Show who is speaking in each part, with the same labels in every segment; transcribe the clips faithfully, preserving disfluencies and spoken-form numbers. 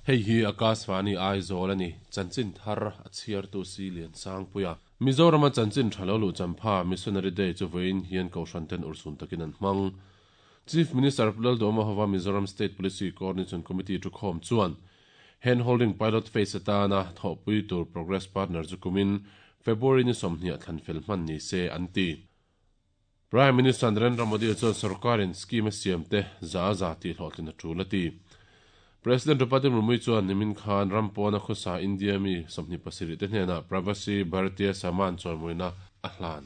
Speaker 1: Hei hi Akashvani Aizawl ani chanchin thar a chhiartu si lian sangpuia Mizoram a chanchin thalo lu champha Missionary Day chu voin hian kohhran ten ursun takin an hmang Chief Minister Lalduhoma hova Mizoram State Police Coordination Committee thu khawm chuan hand holding pilot phase atana thawhpui tur progress partner chu kumin February ni sawmhnih thlan fel hman ni se an ti Prime Minister Narendra Modi chuan sarkarin scheme siam te za za ti hlawhtlin a tul a ti President Draupadi Murmu chuan nimin khan rampawna khawsa India mi sawmhnih pasarih te hnenah Pravasi Bharatiya Samman chawimuina a hlan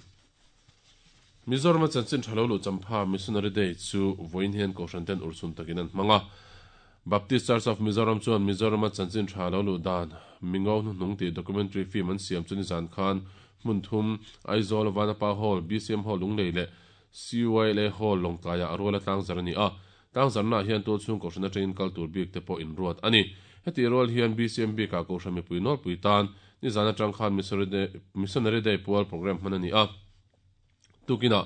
Speaker 1: Mizoram a chanchin thalo lu champha Missionary Day chu voin hian kohhran ten ursun takin an hmanga Baptist Church of Mizoram chuan Mizoram a chanchin thalo lu dan mingo nu hnung ti documentary film an siam chuni zan khan hmun thum Aizawl Vanapa Hall B C M Hall Lunglei le C Y L A Hall Lawngtlaiah a rual atlang zar ani a tang zarna hian tul chung kohhran atangin kal tur bik te pawh in ruat ani heti rual hian B C M bik ah kohhran mipui nawlpui pui tan ni zan atang khan Missionary Day pual program hman ani a tukina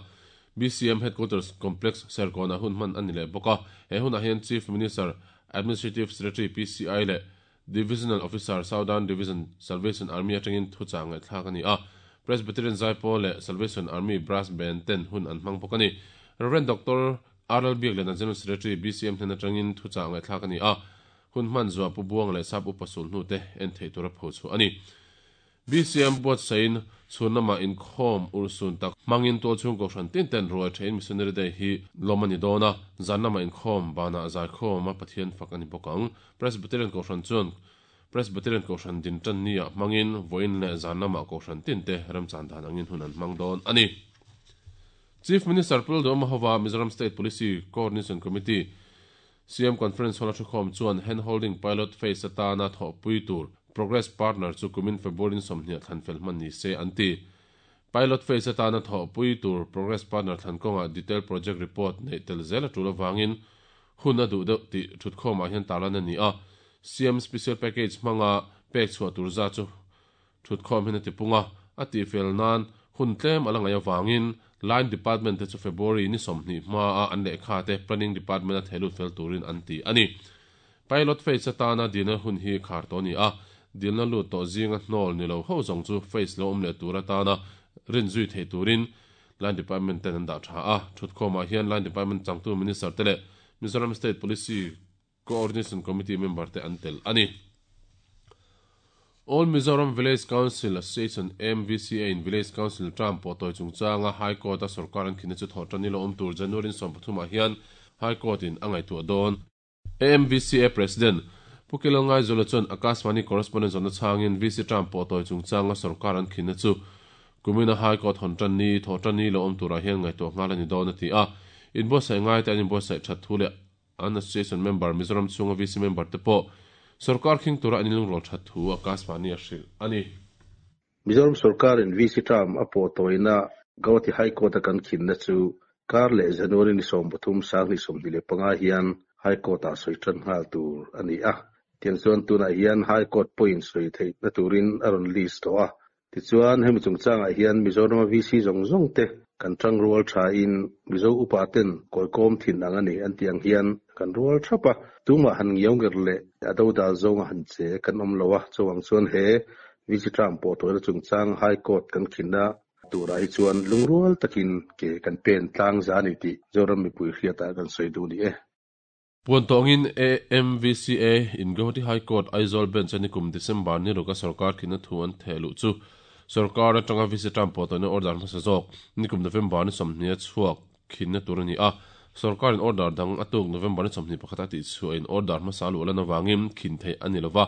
Speaker 1: B C M Headquarters Complex Serkawna hun hman ani leh bawk a he hunah hian Chief Minister Administrative Secretary P C I le Divisional Officer Southern Division Salvation Army atangin thuchang ngai thlak ani a Presbyterian Zaipawl le Salvation Army Brass Band ten hun an hmang bawk ani Reverend Doctor R L Biak le General Secretary B C M hnen atangin thuchang ngai thlak ani a hun hman zuwa pu buang le sap upasul hnu te en thei tura pho chu ani B C M buat sain chhunama in khawm ursun tak mangin tul chung kohhran tin ten ruai thein Missionary Day hi lomani dona zanama in khawm bana zai khawm a Pathian fak ani bawk ang Presbyterian kohhran chuan Presbyterian kohhran din tan nia mangin voin le zanama kohhran tin te ramchan dan angin hun an hmang dawn ani Chief Minister Lalduhoma hova Mizoram State Police Coordination Committee C M Conference hall a thu khawm chuan hand holding pilot phase atana thawhpui tur Progress Partner chu kumin February sawmhnih thlan fel hman ni se an ti Pilot phase atana thawhpui tur Progress Partner thlan kawnga detailed project report nei tel zel a tul awangin hun a duh deuh tih thut khawmah hian tarlan ani a C M Special Package hmanga pek chhuah tur za chu thut khawm hian a ti punga a ti fel nan hun tlem ala ngai awangin Line Department te chu February ni sawmhnih hma a an lehkha te Planning Department a theilut fel turin an ti ani Pilot phase atana dilna hun hi khar to ni a dilna lut to zinga hnawl ni lo ho zawng chu phase lo awm leh tur atana rin zui thei turin Line Department ten an dah tha a thut khawmah hian Line Department changtu Minister te leh Mizoram State Police Coordination Committee member te an tel ani All Mizoram Village Council Association M V C A in Village Council term pawh tawi chungchanga High Court a sarkar an khina chu thawh tani lo awm tur January sawm pathumah hian High Court in a ngaihtuah dawn A M V C A President Pukelongai Zola chuan Akashvani correspondent zona changin V C term pawh tawi chungchanga sarkar an khina chu kumina High Court hon tan ni thawh tani lo awm turah hian ngaihtuah nghal ani dawn a ti a inbuatsaih ngai te an inbuatsaih that thu leh an association member Mizoram chunga V C member te pawh sarkar khing tura an inlung rawl that thu Akashvani a hrilh ani
Speaker 2: Mizoram sarkar in V C term a pawh tawina Guwahati High Court a kan khinna chu kar leh January ni sawm pathum sang ni sawmhnih leh panga hian High Court ah sawi tan nghal tur ani a tiang chuan tunah hian High Court point sawi theih na turin a rawn list tawh a tichuan hemi chungchangah hian Mizoram V C zawng zawng te kan tang rual tha in Mizo upa ten kawikawm thin ang ani an tiang hian kan rual thapa tumah han ngiau nger le a do dal zawnga han che kan awm lo a chuang chuan he V C term pawh tawina chungchang High Court kan khinna tura hi chuan lungrual takin ke kan pen tlang za ani tih Zoram mipui hriatah kan sawi duh ni e
Speaker 1: Puantawngin A M V C A in Guwahati High Court Aizawl Bench ani kum December ni ruka sarkar khina thu an thehluh chu sarkar atanga V C term pawh tawina order hmasa zawk nikum November ni sawmhnih a chhuak khinna tur ani a sarkar in order dang atuk November ni sawmhnih pakhat a tih chhuah in order hmasa lu lan awangin khin thei ani lova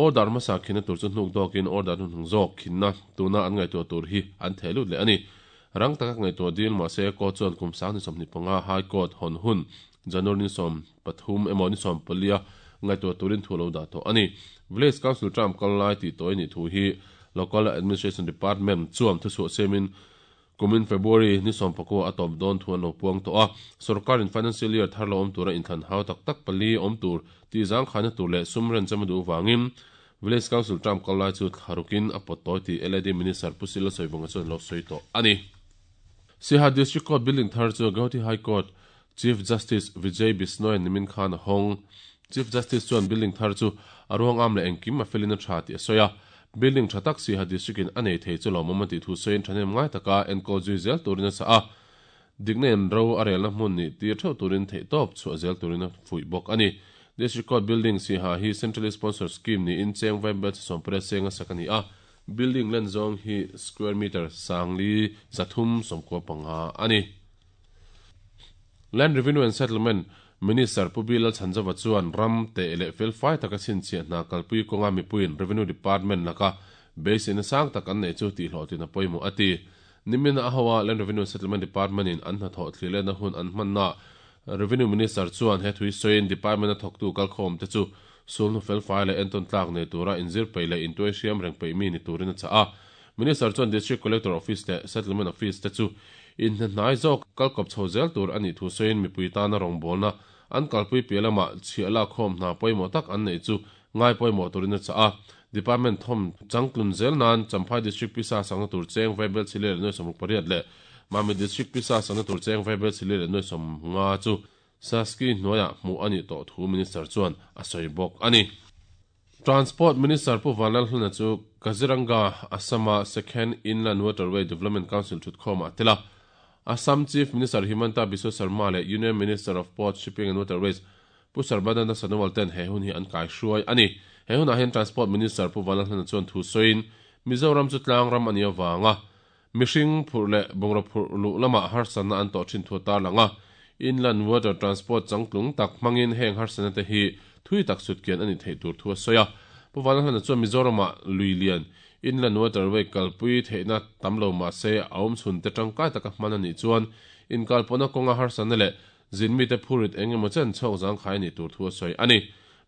Speaker 1: order hmasa khinna tur chu hnuk dawkin order hnuhnung zawk khinna tuna an ngaihtuah tur hi an thehlut leh ani rang taka ngaihtuah dil mahse court chuan kum sang ni sawmhnih panga High Court hawn hun January ni sawm pathum emaw ni sawm palia ngaihtuah turin thu lo dah tawh ani Village Council term kal lai tih tawi ni thu hi Local Administration Department chuan thu chhuah semin kumin February ni sawm pakua a tawp dawn thu an lo puang tawh a sarkar in financial year thar lo awm tura inthlan hau tak tak pali awm tur ti zang khana tur leh sumren chama duh wangin Village Council term kal lai chu tharukin a pawt tawi tih L A D Minister Pusila Soivunga chuan lo sawi tawh ani Siaha District Court building thar chu Guwahati High Court Chief Justice Vijay Bishnoi nimin khan hong Chief Justice chuan building thar chu a ruang am leh engkim a felin a tha tih a sawi a. Building tha tak Siaha District in a nei thei chu lawmawm a tih thu sawiin thahnem ngai taka enkawl zui zel turin a chah a. Dikna in ro a relna hmun nih tir theuh turin theihtawp chhuah zel turin a fuih bawk a ni. District Court Building Siaha hi Centrally Sponsored Scheme niin cheng vaibel chi sawmpariat seng a sak a ni a. Building len zawng hi square meter sangli zathum sawmkua panga a ni. Land Revenue and Settlement Minister Pu Bilal Chhanzova chuan ram teh leh felfai taka chhinchhiah hna kalpui kawnga mipuiin Revenue Department laka beiseina sang tak an neih chu tihhlawhtlin a pawimawh a ti. Nimina a hoa Land Revenue and Settlement Department in an hnathawh thlirlehna hun an hmanna Revenue Minister chuan he thui sawiin Department a thawktu kalkhawm te chu sulhnu felfai leh entawn tlak nei tura inzir peih leh intuai hriam reng peih mi ni turin a chah a. Minister chuan District Collector Office leh Settlement Office te chu inhnahnai zawk kalkawp chho zel tur a nih thu sawiin mipui tana rawngbawlna an kalpui piah lamah chhiah lakkhawm hna pawimawh tak an neih chu ngai pawimawh turin a chah a. Department thawm changtlun zel nan Champhai District pisa sakna tur cheng vaibel chile leh nuai sawmruk pariat leh Mami District pisa sakna tur cheng vaibel chile leh nuai sawm nga chu Saski hnuaiah hmuh a nih tawh thu Minister chuan a sawi bawk a ni. Transport Minister Pu Vanlalhluna chu Kaziranga, Assam-a Second Inland Waterway Development Council thutkhawmah a tel a. Assam Chief Minister Himanta Biswa Sarma leh Union Minister of Ports, Shipping and Waterways Pu Sarbananda Sonowal ten he hun hi an kaihruai a ni. He hunah hian Transport Minister Pu Vanlalhluna chuan thu sawiin Mizoram chu tlang ram a nih avanga mihring phurh leh bungraw phurh luh lamah harsatna an tawh thin thu a tarlang a. Inland Water Transport changtlung tak hmangin heng harsatna te hi thui tak sutkian a ni theih tur thu a sawi a. Pu Vanlalhlana chuan Mizoramah lui lian Inland Waterway kalpui theihna tam lo mah se a awm chhun te tangkai taka hman a nih chuan inkalpawhna kawnga harsatna leh zin mite phurit eng emaw chen chhawk zangkhai a nih tur thu a sawi a ni.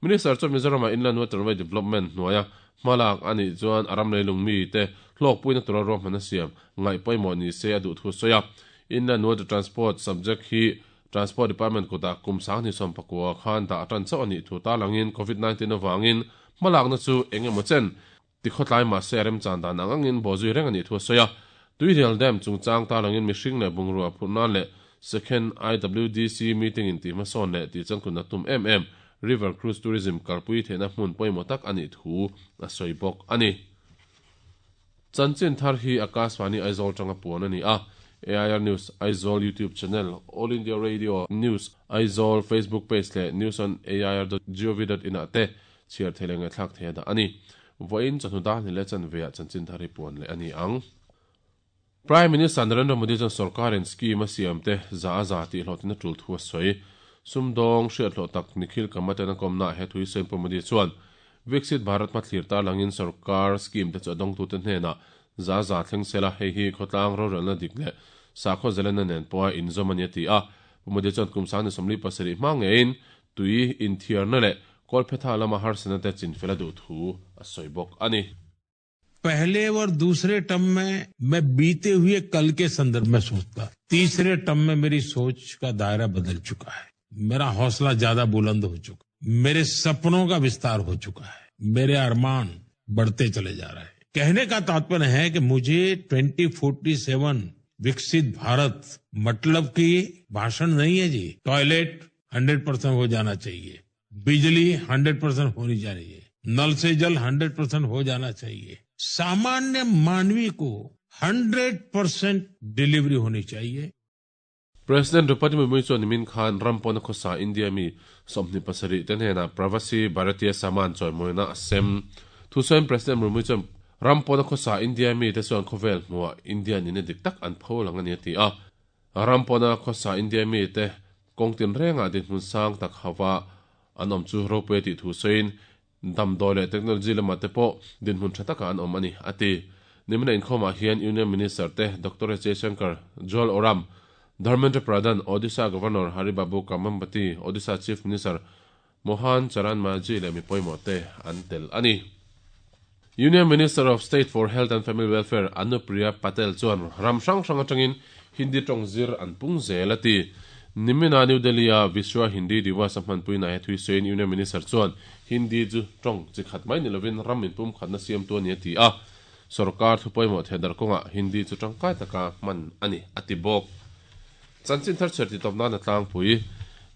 Speaker 1: Minister chuan Mizoramah Inland Waterway Development hnuaia hmalak a nih chuan a ram leilung mite hlawkpuina tura ruahman a siam ngaih pawimawh ni se a duh thu a sawi a. Inland Water Transport subject hi Transport Department kutah kum sanghnih sawm pakua khan dah tan chauh a nih thu tarlangin Covid nineteen avangin hmalakna chu eng emaw chen tikhawtlai mah se a remchan dan ang angin bawhzui reng a nih thu a sawi a. Tuirial Dam chungchang tarlangin mihring leh bungrua phurh nan leh Second I W D C meeting in tih hmasawn leh tih changtlun a tum em em River Cruise Tourism kalpui theihna hmun pawimawh tak a nih thu a sawi bawk a ni. Chanchin thar hi Akashvani Aizawl tanga puan a ni a. A I R News Aizawl YouTube channel, All India Radio News Aizawl Facebook page leh news on A I R dot gov dot in ah te chhiar thei leh ngaihthlak thei a dah a ni. Vawiin chawhnu dan ni leh chanveah chanchin thar hi puan leh a ni ang. Prime Minister Narendra Modi chuan sorkarin scheme a siam te za a za tih hlawhtlin a tul thu a sawi. Sumdawng hriathlawh tak Nikhil Kamaten a kawmnaah he thui sawiin Pu Modi chuan Viksit Bharat hmathlir tarlangin sarkar scheme te chu a dawngtute hnenah za za thleng sela hei hi khawtlang rorelna dik leh sakhaw zelena nen pawha inzawm a ni a ti a. Pu Modi chuan kum sang ni sawmli pasarih hma ngeiin tui inthiarna leh kawlphetha lama harsatna te chinfel a duh thu a sawi bawk a ni.
Speaker 3: पहले और दूसरे term में मैं बीते हुए कल के संदर्भ में सोचता, तीसरे टर्म में मेरी सोच का दायरा बदल चुका है, मेरा हौसला ज्यादा बुलंद हो चुका, मेरे सपनों का विस्तार हो चुका है, मेरे अरमान बढ़ते चले जा रहे हैं। कहने का तात्पर्य है कि मुझे twenty forty seven विकसित भारत मतलब की भाषण नहीं है जी। Toilet hundred percent हो जाना चाहिए, बिजली हंड्रेड परसेंट होनी चाहिए, नल से जल हंड्रेड परसेंट हो जाना चाहिए, सामान्य मानवी को hundred percent delivery होनी चाहिए।
Speaker 1: President Draupadi Murmu chuan nimin khan ram pawna khawsa India mi sawmhnih pasarih te hnenah Pravasi Bharatiya Samman chawimawina a sem. Thusawiin President Murmu chuan ram pawna khawsa India mi te chuan khawvel hmuah India nina dik tak an pho lang a ni a ti a. Ram pawna khawsa India mi te kawngtin rengah dinhmun sang tak hawa an awm chu ropui tih thusawiin damdawi leh technology lamah te pawh dinhmun tha takah an awm a ni a ti. Nimina inkhawmah hian Union Minister te Doctor H Jaishankar, Jual Oram, Dharmendra Pradhan, Odisha Governor Haribabu Kambhampati, Odisha Chief Minister Mohan Charan Majhi leh mi pawimawh te an tel a ni. Union Minister of State for Health and Family Welfare Anupriya Patel chuan ram hrang hrang atangin Hindi tawng zir an pung zel a ti. Nimina New Delhi-a Vishwa Hindi Diwas a hmanpuina he thui sawiin Union Minister chuan Hindi chu tawng chi khat mai ni lovin ram inpum khatna siam tu a ni a ti a. Sarkar thu pawimawh thehdar kawngah Hindi chu tangkai taka hman a ni a ti bawk. Chanchin thar chher ti tawp nan a tlangpui.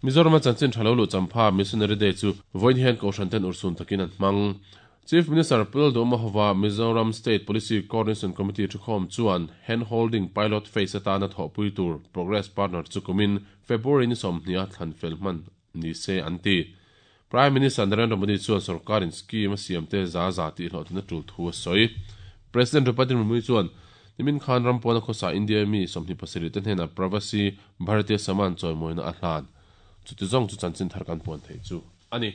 Speaker 1: Mizoram chanchin tha lo lu champha Missionary Day chu vawiin hian kohhran ten urhsun takin an hmang. Chief Minister Pu Lalduhoma hova Mizoram State Policy Coordination Committee thukhawm chuan handholding pilot phase atana thawhpui tur Progress Partner chu kumin February ni sawmhnih a thlan fel hman ni se an ti. Prime Minister Narendra Modi chuan sorkarin scheme a siam te za za tih hlawhtlina tul thu a sawi. President Draupadi Murmu chuan nimin khan rampawna khawsa India mi sawmhnih pasarih te hnenah Pravasi Bharatiya Samman chawimawina a hlan. Chuti zawng chu chanchin thar kan puan theih chu a ni.